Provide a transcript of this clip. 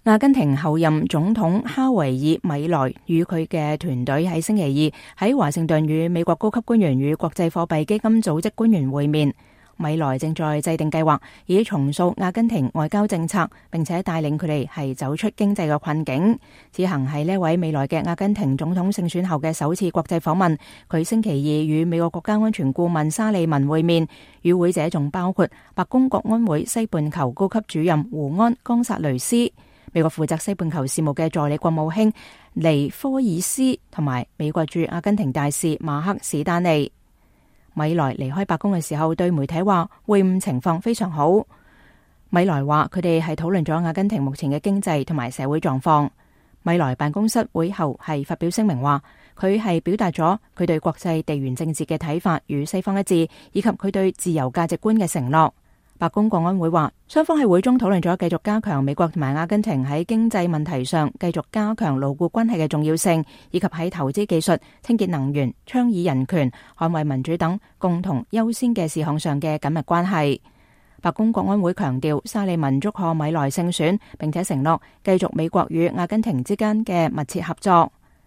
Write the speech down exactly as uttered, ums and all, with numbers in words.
阿根廷候任總統哈維爾米萊與佢嘅團隊喺星期二喺華盛頓與美國高級官員與國際貨幣基金組織官員會面。米萊正在制定計劃，以重塑阿根廷外交政策，並且帶領佢哋係走出經濟嘅困境。此行係呢位未來嘅阿根廷總統勝選後嘅首次國際訪問。佢星期二與美國國家安全顧問沙利文會面，與會者仲包括白宮國安會西半球高級主任胡安·岡薩雷斯、美國負責西半球事務嘅助理國務卿尼科爾斯同埋美國駐阿根廷大使馬克史丹尼。米萊離開白宮嘅時候對媒體話，會晤情況非常好。米萊話佢哋係討論咗阿根廷目前嘅經濟同埋社會狀況。米萊辦公室會後係發表聲明話，佢係表達咗佢對國際地緣政治嘅睇法與西方一致，以及佢對自由價值觀嘅承諾。白宮國安會話，雙方喺會中討論咗繼續加強美國同埋阿根廷喺經濟問題上繼續加強牢固關係嘅重要性，以及喺投資技術、清潔能源、倡議人權、捍衛民主等共同優先嘅事項上嘅緊密關係。白宮國安會強調，沙利文祝賀米萊勝選，並且承諾繼續美國與阿根廷之間嘅密切合作。